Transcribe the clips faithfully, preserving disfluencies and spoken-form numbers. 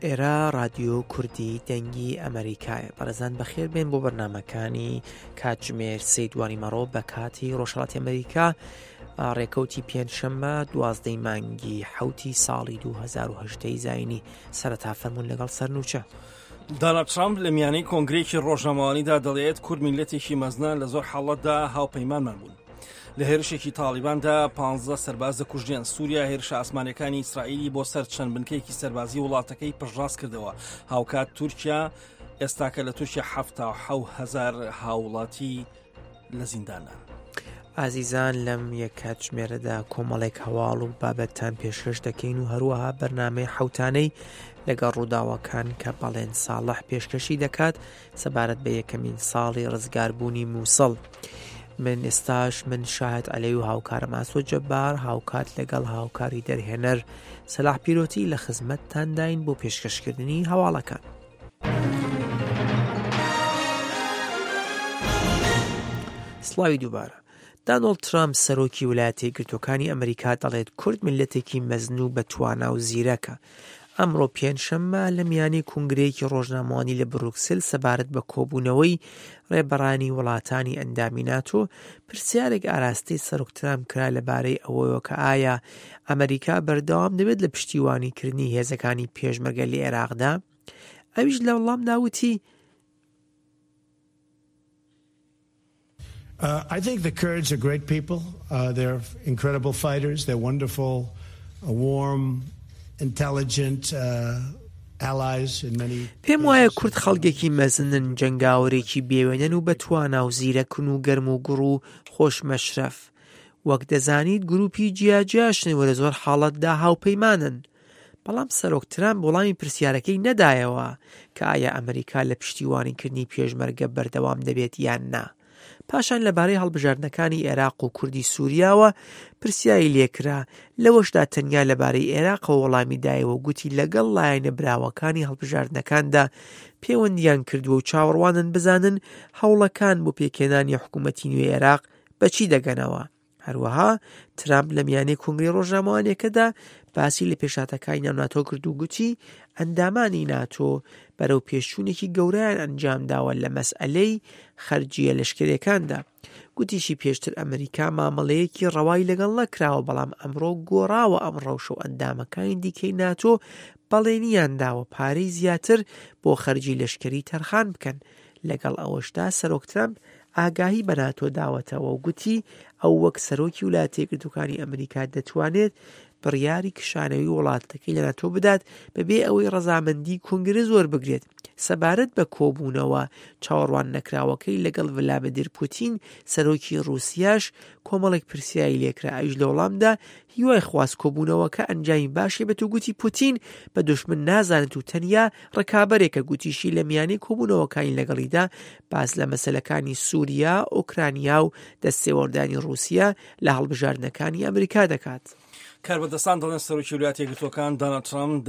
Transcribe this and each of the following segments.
ئێرە ڕادیۆ کوردی دەنگی ئەمەریکایە. بەڕێزان بەخێر بێن بۆ بەرنامەکانی کاتژمێر سێ دوانی مەڕۆ بە کاتی ڕۆژهەڵاتی ئەمریکا، ڕێکەوتی پێنجشەممە دوازدەی مانگی حەوتی ساڵی دوو هەزار و هەژدە زایینی. سەرەتا فەرموون لەگەڵ سەرنوچە. دانالد ترامپ لە میانەی کۆنگرەیەکی ڕۆژنامەوانیدا دەڵێت کورد میللەتێکی مەزنە، لە زۆر حاڵەتدا هاوپەیمانمان بوون. لە هێرشێکی تاڵیباندا پانزە سەرباز دەکوژرێن. سووریا هێرشە ئاسمانیەکانی ئیسرائیلی بۆ سەر چەند بنکەیەکی سەربازی وڵاتەکەی پشتڕاست کردەوە. هاوکات تورکیا ئێستاکە لە تورکیا حەفتا و حەوت هەزار هاوڵاتی لە زیندانە. ئازیزان لەم یەک کاتژمێرەدا کۆمەڵێک هەواڵ و بابەتتان پێشکەش دەکەین و هەروەها بەرنامەی حەوتانەی لەگەڵ ڕووداوەکان کە بەڵێن ساڵح پێشکەشی دەکات سەبارەت بە یەکەمین ساڵی ڕزگاربوونی مووسڵ. من ئێستاش من شاهد عەلەی و هاوکارم ئاسۆ جەبار هاوکات لەگەڵ هاوکاری دەرهێنەر سەلاح پیرۆتی لە خزمەتتانداین بۆ پێشکەشکردنی هەواڵەکان. سڵاوی دووبارە. دانۆڵد ترامپ سەرۆکی ویلایەتە یەکگرتووەکانی ئەمریکا دەڵێت کورد میللەتێکی مەزن و بەتوانا و زیرەکە. ئەمڕۆ پێنجشەممە لە میانی کۆنگرەیەکی ڕۆژنامەوانی لە بروکسل سەبارەت بە کۆبوونەوەی ڕێبەرانی وڵاتانی ئەندامی ناتۆ پرسیارێک ئاراستەی سەرۆک ترامپ کرا لەبارەی ئەوەیەوە کە ئایا ئەمریکا بەردەوام دەبێت لە پشتیوانیکردنی هێزەکانی پێشمەرگە لە عێراقدا؟ ئەویش لە وەڵامدا وتی Uh, I think the Kurds are great people. Uh, they're incredible fighters. They're wonderful, uh, warm, intelligent, uh, allies in many پێم وایە کورد خەڵکێکی مەزنن، جەنگاوەرێکی بێوێنەن و بەتوانا و زیرەکن و گەرم و گوڕ و خۆشمەشرەف. وەک دەزانیت گروپی جیاجیاشن و لە زۆر حاڵەتدا هاوپەیمانن. بەڵام سەرۆک ترامپ وەڵامی پرسیارەکەی نەدایەوە کە ئایا ئەمریکا لە پشتیوانیکردنی پێشمەرگە بەردەوام دەبێت یان نا. پاشان لەبارەی هەڵبژاردنەکانی عێراق و کوردی سووریاوە پرسیاری لێکرا، لەوەشدا تەنیا لەبارەی عێراقەوە وەڵامی دایەوە گوتی لەگەڵ لایەنە براوەکانی هەڵبژاردنەکاندا پەیوەندیان کردووە و چاوەڕوانن بزانن هەوڵەکان بۆ پێکهێنانی حکوومەتی نوێی عێراق بەچی دەگەنەوە. هەروەها ترامپ لە میانەی کۆنگرەی ڕۆژنامەوانیەکەدا باسی لە پێشهاتەکانی ناو ناتۆ کرد و گوتی ئەندامانی ناتۆ بەرەو پێشچوونێکی گەورەیان ئەنجام داوە لە مەسئلەی خەرجیە لەشکریەکاندا. گوتیشی پێشتر ئەمریکا مامەڵەیەکی ڕەوای لەگەڵ نەکراوە، بەڵام ئەمڕۆ گۆڕاوە ئەم ڕەوشە و ئەندامەکانی دیکەی ناتۆ بەڵێنیان داوە پارەی زیاتر بۆ خەرجی لەشکری تەرخان بکەن. لەگەڵ ئەوەشدا سەرۆک ترامپ ئاگاهی بە ناتۆ داوەتەوە و گوتی ئەو وەک سەرۆکی ویلایەتە یەکگرتووەکانی ئەمریکا دەتوانێت بڕیاری کشانەوەی وڵاتەکەی لە ناتۆ بدات بەبێ ئەوەی ڕەزامەندی کۆنگرە زۆر بگرێت. سەبارەت بە کۆبوونەوە چاوەڕوان نەکراوەکەی لەگەڵ ڤلادیمیر پوتین سەرۆکی ڕووسیاش کۆمەڵێک پرسیاری لێکرا، ئەویش لە وەڵامدا هیوای خواست کۆبوونەوەکە ئەنجامی باشی بێت و گوتی پوتین بە دوشمن نازانێت و تەنیا ڕکابەرێکە. گوتیشی لە میانەی کۆبوونەوەکانی لەگەڵیدا باس لە مەسەلەکانی سووریا، ئۆکرانیا و دەستێوەردانی ڕووسیا لە هەڵبژاردنەکانی ئەمریکا دەکات. کاربەدەستان دەڵێن سەرۆکی ویلایەتە یەکگرتووەکان دانالد ترامپ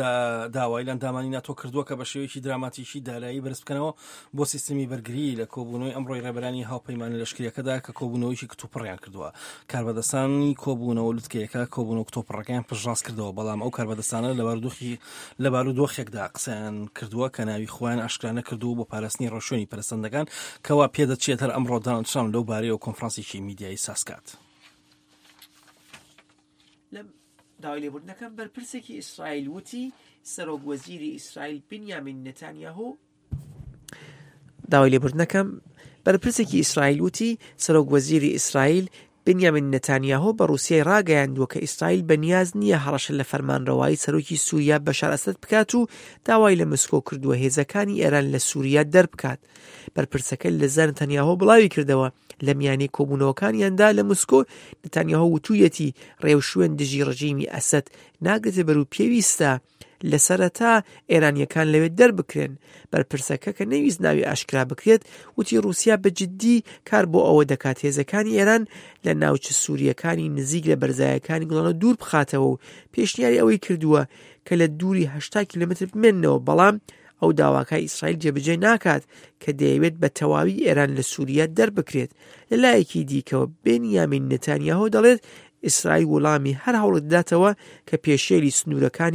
داوای لە ئەندامانی ناتۆ کردووە کە بە شێوەیەکی دراماتیکی دارایی بەرز بکەنەوە بۆ سیستمی بەرگری لە کۆبوونەوەی ئەمڕۆی ڕێبەرانی هاوپەیمانە لەشکریەکەدا کە کۆبوونەوەیەکی کتوپڕیان کردووە. کاربەدەستانی کۆبوونەوە لوتکەیەکە کۆبوونەوە کتوپڕەکەیان پشتڕاست کردەوە، بەڵام ئەو کاربەدەستانە لە بارودۆخێکدا قسەیان کردووە کە ناوی خۆیان ئاشکرا نەکردووە بۆ پاراستنی ڕێوشوێنی پەرستەندەکان، کەوا پێدەچێت هەر ئەمڕۆ دانالد ترامپ لەو بارەیەوە کۆنفرانسێکی میدیایی سازکات. لەم داوای لێبوردنەکەم بەرپرسێکی ئیسرائیل وتی سەرۆک وەزیری ئیسرائیل بنیامین نەتانیاهۆ داوای لێبوردنەکەم بەرپرسێکی ئیسرائیل وتی سەرۆک وەزیری ئیسرائیل بنیامین نەتانیاهۆ بە ڕووسیای ڕاگەیاندووە کە ئیسرائیل بەنیاز نییە هەڕەشە لە فەرمانڕەوایی سەرۆکی سووریا بەشار ئەسەد بکات و داوای لە مسکۆ کردووە هێزەکانی ئێران لە سووریا دەربکات. بەرپرسەکە لە زار نەتانیاهۆ بڵاوی کردەوە لە میانەی کۆبوونەوەکانیاندا لە مسکۆ نەتانیاهۆ وتوویەتی ڕێوشوێن دژی ڕژیمی ئەسەد ناگرێتە بەر و پێویستە لە سەرەتا ئێرانیەکان لەوێ دەربکرێن. بەرپرسەکە کە نەویست ناوی ئاشکرا بکرێت وتی ڕووسیا بە جدی کار بۆ ئەوە دەکات هێزەکانی ئێران لە ناوچە سووریەکانی نزیک لە بەرزایەکانی گوڵانە دوور بخاتەوە و پێشنیاری ئەوەی کردووە کە لە دووری هەشتا کیلۆمەتر بمێننەوە، بەڵام ئەو داواکای ئیسرائیل جێبەجێ ناکات کە دەیەوێت بە تەواوی ئێران لە سووریا دەربکرێت. لە لایەکی دیکەوە بنیامین نەتانیاهۆ دەڵێت ئیسرائیل وەڵامی هەر هەوڵێک دەداتەوە کە پێشێلی سنوورەکانی